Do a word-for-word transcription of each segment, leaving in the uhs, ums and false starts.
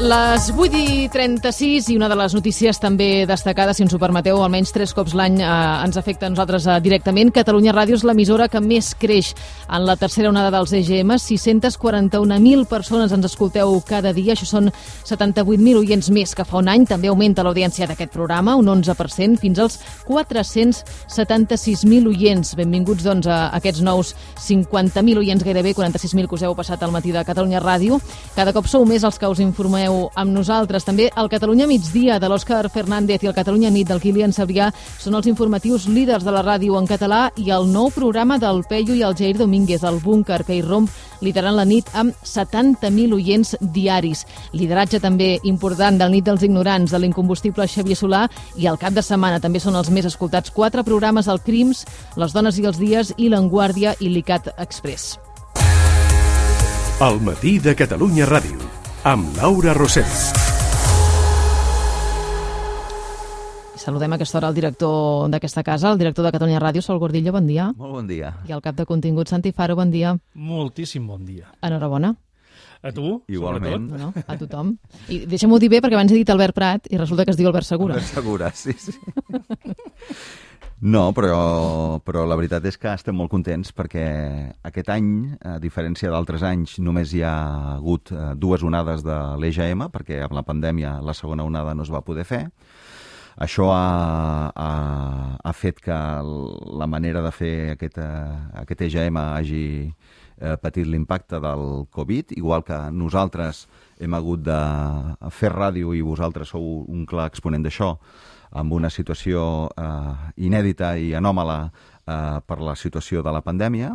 Les vuit i trenta-sis i una de les notícies també destacades, si ens ho permeteu, almenys tres cops l'any eh, ens afecta a nosaltres eh, directament. Catalunya Ràdio és l'emissora que més creix en la tercera onada dels E G M. sis-centes quaranta-un mil persones ens escolteu cada dia. Això són setanta-vuit mil oients més que fa un any. També augmenta l'audiència d'aquest programa, un onze per cent, fins als quatre-cents setanta-sis mil oients. Benvinguts, doncs, a aquests nous cinquanta mil oients, gairebé quaranta-sis mil que us heu passat al matí de Catalunya Ràdio. Cada cop sou més els que us informeu amb nosaltres. També el Catalunya Migdia de l'Òscar Fernández i el Catalunya Nit del Kilian Sabrià són els informatius líders de la ràdio en català, i el nou programa del Peyu i el Jair Domínguez, el Búnquer, que irromp liderant la nit amb setanta mil oients diaris. Lideratge també important del Nit dels Ignorants, de l'incombustible Xavier Solà, i el cap de setmana també són els més escoltats. Quatre programes: el Crims, Les dones i els dies, i L'Enguàrdia i l'ICAT Express. El matí de Catalunya Ràdio, amb Laura Rosell. Saludem a aquesta hora el director d'aquesta casa, el director de Catalunya Ràdio, Sol Gordillo, bon dia. Molt bon dia. I el cap de contingut, Santi Faro, bon dia. Moltíssim bon dia. Enhorabona. A tu, igualment. No, no, a tothom. I deixa'm-ho dir bé, perquè abans he dit Albert Prat i resulta que es diu Albert Segura. Albert Segura, sí, sí. No, però, però la veritat és que estem molt contents perquè aquest any, a diferència d'altres anys, només hi ha hagut dues onades de l'E G M, perquè amb la pandèmia la segona onada no es va poder fer. Això ha, ha, ha fet que la manera de fer aquest, aquest E G M hagi eh, patit l'impacte del Covid, igual que nosaltres hem hagut de fer ràdio i vosaltres sou un clar exponent d'això, amb una situació eh, inèdita i anòmala eh, per la situació de la pandèmia,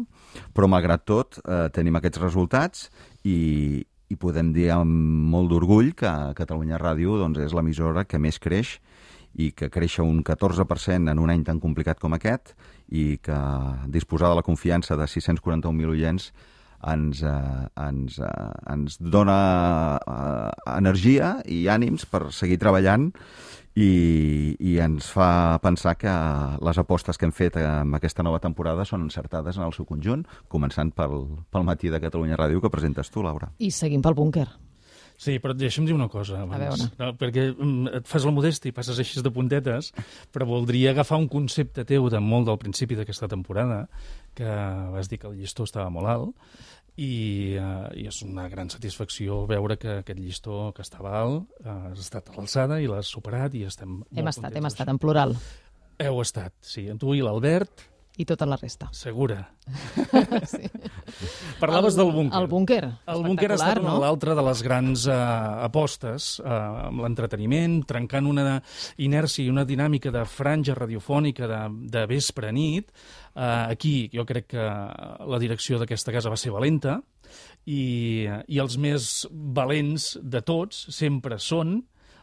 però malgrat tot eh, tenim aquests resultats i, i podem dir amb molt d'orgull que Catalunya Ràdio doncs, és l'emissora que més creix i que creix un catorze per cent en un any tan complicat com aquest, i que disposar de la confiança de sis-cents quaranta-un mil oients ens, eh, ens, eh, ens dona eh, energia i ànims per seguir treballant, i, i ens fa pensar que les apostes que hem fet en aquesta nova temporada són encertades en el seu conjunt, començant pel, pel matí de Catalunya Ràdio que presentes tu, Laura. I seguim pel Búnquer. Sí, però deixa'm dir una cosa abans, no, perquè et fas la modèstia i passes així de puntetes, però voldria agafar un concepte teu de molt del principi d'aquesta temporada, que vas dir que el llistó estava molt alt, i, uh, i és una gran satisfacció veure que aquest llistó que estava alt uh, has estat a l'alçada i l'has superat, i estem molt Hem estat, hem estat, en en plural. Heu estat, sí, tu i l'Albert. I tota la resta. Segura. Sí. Parlaves el, del Búnquer. El Búnquer, El Búnquer ha estat una no? l'altra de les grans uh, apostes uh, amb l'entreteniment, trencant una inèrcia i una dinàmica de franja radiofònica de, de vespre a nit. Uh, aquí jo crec que la direcció d'aquesta casa va ser valenta, i, i els més valents de tots sempre són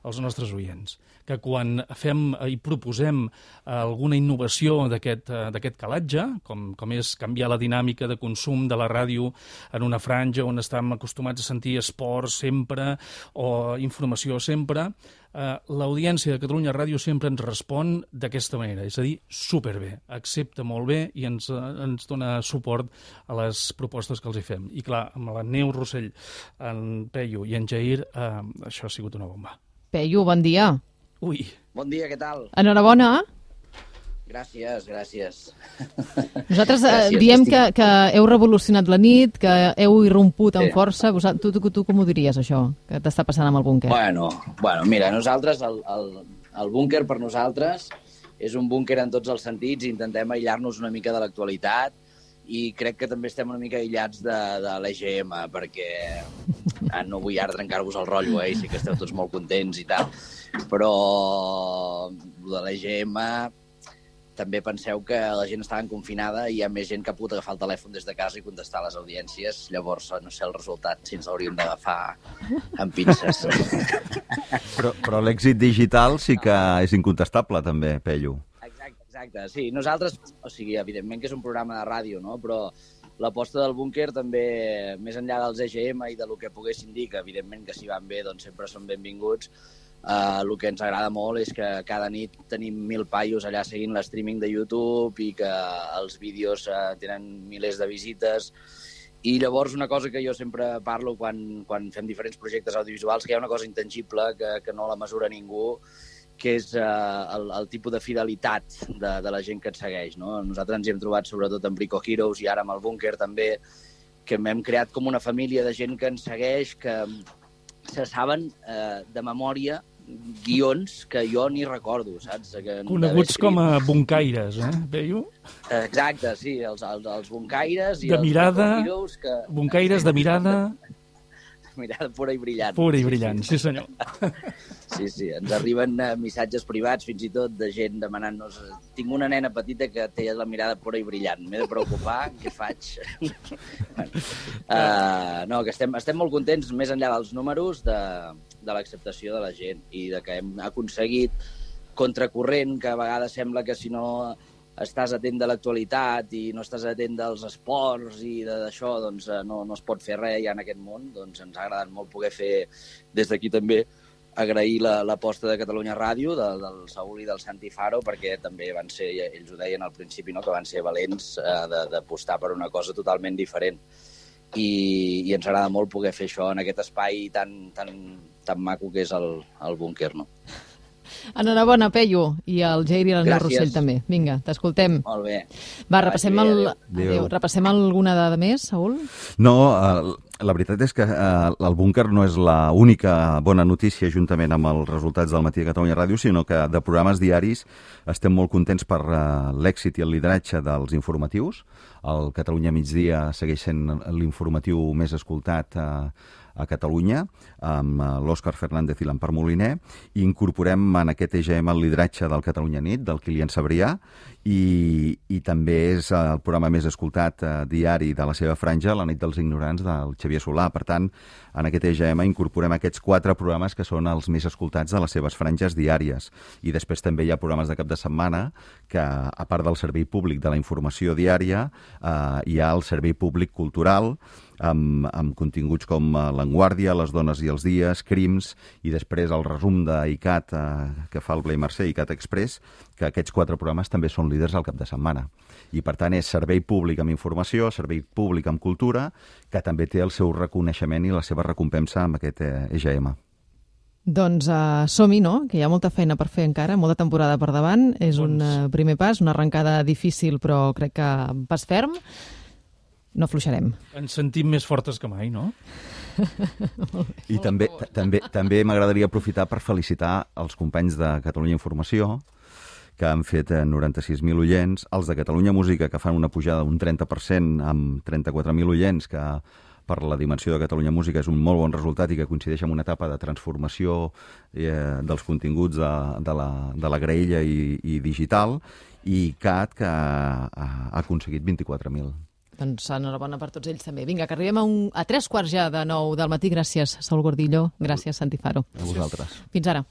els nostres oients, que quan fem i proposem alguna innovació d'aquest d'aquest calatge, com, com és canviar la dinàmica de consum de la ràdio en una franja on estem acostumats a sentir esport sempre o informació sempre, eh, l'audiència de Catalunya Ràdio sempre ens respon d'aquesta manera, és a dir, superbé, accepta molt bé i ens, ens dona suport a les propostes que els hi fem. I clar, amb la Neus Rossell, en Peyu i en Jair, eh, això ha sigut una bomba. Peyu, bon dia. Ui. Bon dia, què tal? Enhorabona. Gràcies, gràcies. Nosaltres eh, gràcies, diem estic... que, que heu revolucionat la nit, que heu irromput amb sí. força. Tu, tu, tu com ho diries, això, que t'està passant amb el Búnquer? Bueno, bueno mira, nosaltres, el, el, el Búnquer per nosaltres és un búnquer en tots els sentits, intentem aïllar-nos una mica de l'actualitat, i crec que també estem una mica aïllats de, de l'E G M, perquè ah, no vull ara trencar-vos el rotllo, eh? Sí que esteu tots molt contents i tal, però de l'E G M també penseu que la gent estava confinada i hi ha més gent que ha pogut agafar el telèfon des de casa i contestar a les audiències, llavors no sé el resultat si ens l'hauríem d'agafar amb pinces. Però, però l'èxit digital sí que és incontestable també, Peyu. Exacte, sí. Nosaltres, o sigui, evidentment que és un programa de ràdio, no? Però l'aposta del Búnquer també, més enllà dels E G M i del que poguessin dir, que evidentment que si van bé doncs sempre són benvinguts, eh, el que ens agrada molt és que cada nit tenim mil paios allà seguint l'streaming de YouTube i que els vídeos eh, tenen milers de visites, I llavors una cosa que jo sempre parlo quan, quan fem diferents projectes audiovisuals, que hi ha una cosa intangible que, que no la mesura ningú, que és uh, el, el tipus de fidelitat de, de la gent que et segueix, no? Nosaltres ens hi hem trobat sobretot amb Brico Heroes i ara amb el Búnquer també, que hem creat com una família de gent que ens segueix, que se saben uh, de memòria guions que jo ni recordo, saps? Que coneguts com a buncaires, eh, veieu? Exacte, sí, els, els, els buncaires i de els mirada, heroes que... buncaires de mirada... mirada pura i brillant. Pura i brillant, sí, sí, senyor. Sí, sí, ens arriben uh, missatges privats, fins i tot, de gent demanant-nos tinc una nena petita que té la mirada pura i brillant, m'he de preocupar, què faig? bueno, uh, no, que estem, estem molt contents, més enllà dels números, de, de l'acceptació de la gent i de que hem aconseguit contracorrent, que a vegades sembla que si no estàs atent de l'actualitat i no estàs atent dels esports i d'això, doncs no, no es pot fer res ja en aquest món. Doncs ens ha agradat molt poder fer des d'aquí també agrair l'aposta la, de Catalunya Ràdio, de, del Saúl i del Santi Faro, perquè també van ser, ells ho deien al principi, no?, que van ser valents eh, d'apostar per una cosa totalment diferent. I, i ens agrada molt poder fer això en aquest espai tan, tan, tan maco que és el, el Búnquer, no? Enhorabona, Peyu, i el Jair i el Neu Rossell també. Vinga, t'escoltem. Molt bé. Va, repassem, el... Adéu. Adéu. Repassem alguna dada més, Saúl? No, eh, la veritat és que eh, el Búnquer no és l'única bona notícia juntament amb els resultats del Matí de Catalunya Ràdio, sinó que de programes diaris estem molt contents per eh, l'èxit i el lideratge dels informatius. El Catalunya Migdia segueix sent l'informatiu més escoltat eh, a Catalunya, amb l'Òscar Fernández i l'Empar Moliner, i incorporem en aquest E G M el lideratge del Catalunya Nit, del Kilian Sabrià, i, i també és el programa més escoltat eh, diari de la seva franja, La nit dels ignorants, del Xavier Solà. Per tant, en aquest E G M incorporem aquests quatre programes que són els més escoltats de les seves franges diàries. I després també hi ha programes de cap de setmana que, a part del servei públic de la informació diària, eh, hi ha el servei públic cultural, amb, amb continguts com L'Enguàrdia, Les dones i els dies, Crims, i després el resum d'ICAT eh, que fa el Blai Mercè, ICAT Express, que aquests quatre programes també són líders al cap de setmana. I per tant és servei públic amb informació, servei públic amb cultura, que també té el seu reconeixement i la seva recompensa amb aquest E G M. Doncs uh, som-hi, no? Que hi ha molta feina per fer encara, molta temporada per davant. És un uh, primer pas, una arrencada difícil, però crec que pas ferm. No afluixarem. Ens sentim més fortes que mai, no? I també, també, també m'agradaria aprofitar per felicitar els companys de Catalunya Informació, que han fet noranta-sis mil oients, els de Catalunya Música, que fan una pujada d'un trenta per cent amb trenta-quatre mil oients, que per la dimensió de Catalunya Música és un molt bon resultat i que coincideix amb una etapa de transformació eh, dels continguts de, de, la, de la graella i, i digital, i C A T, que ha, ha aconseguit vint-i-quatre mil. Doncs enhorabona per tots ells també. Vinga, que arribem a, un, a tres quarts ja de nou del matí. Gràcies, Saúl Gordillo. Gràcies, Santi Faro. A vosaltres. Fins ara.